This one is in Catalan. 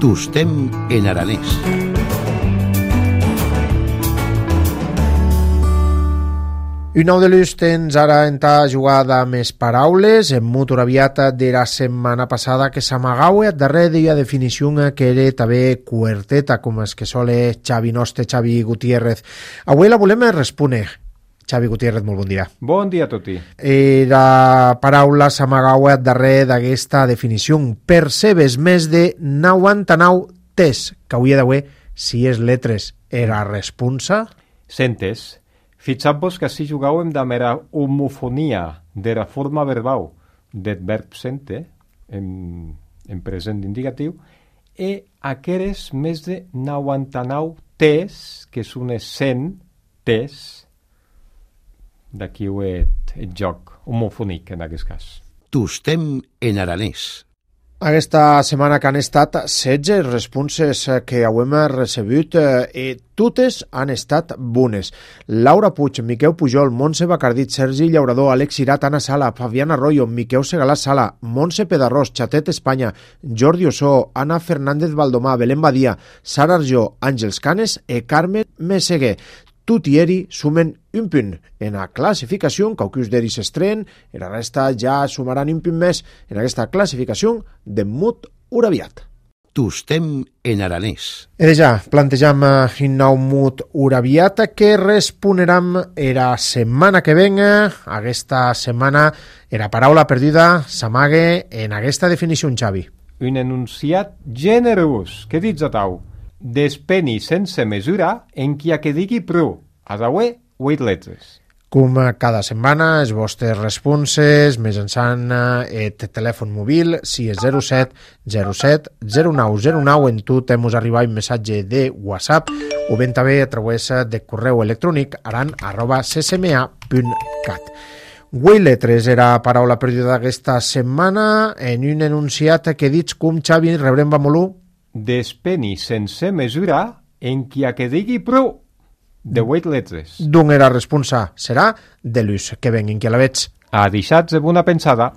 Tostem en aranès. Un nou de l'ús tens ara entà jugada més paraules en mut uraviata de la setmana passada que s'amagaue darrere d'ella definició que era també cuarteta com és que sole Xavi Noste, Xavi Gutiérrez. Avui la volem respondre. Xavi Gutiérrez, molt bon dia. Bon dia a tutti. La paraula s'amagaue darrere d'aquesta definició. Percebes més de 99 tes que hauria d'haver si és letres era responsa? Sentes. Fixam-vos que així jugàvem de mera homofonia de la forma verbal del verb sente, en present indicatiu, i aqueres més de 99 tes, que són 100 tes, d'aquí ho el joc homofònic en aquest cas. Tostem en aranès. Aquesta setmana que han estat 16 responses que hem recebut i totes han estat bones. Laura Puig, Miquel Pujol, Montse Bacardit, Sergi Llaurador, Àlex Irat, Anna Sala, Fabián Arroyo, Miquel Segalà Sala, Montse Pedarrós, Xatet Espanya, Jordi Ossó, Ana Fernández Valdomà, Belén Badia, Sara Arjó, Àngels Canes i Carmen Meseguer. Tot i eri sumen un punt en la classificació, qualcus d'eri s'estrenen, i la resta ja sumaran un punt més en aquesta classificació de mut uraviat. Tostem en aranès. I ja plantejam un nou mut uraviat que responeram la setmana que venga. Aquesta setmana la paraula perduda s'amague en aquesta definició, Xavi. Un enunciat generós, què dius a tau? Despeni sense mesura en qui a que digui prou, a d'haver 8 letres. Com cada setmana, els vostres responses, mitjançant el telèfon mòbil, si és 07 07 09 09, en tu t'hemos arribat un missatge de WhatsApp, o ben també a través de correu electrònic aran@ccma.cat. 8 letres era paraula perduda aquesta setmana en un enunciat que dits com, Xavi, rebrem Bamolú? Despeni sense mesura en qui a que digui prou, de 8 letres. D'on era responsa serà de l'ús que venguin que la veig. A deixats de bona pensada.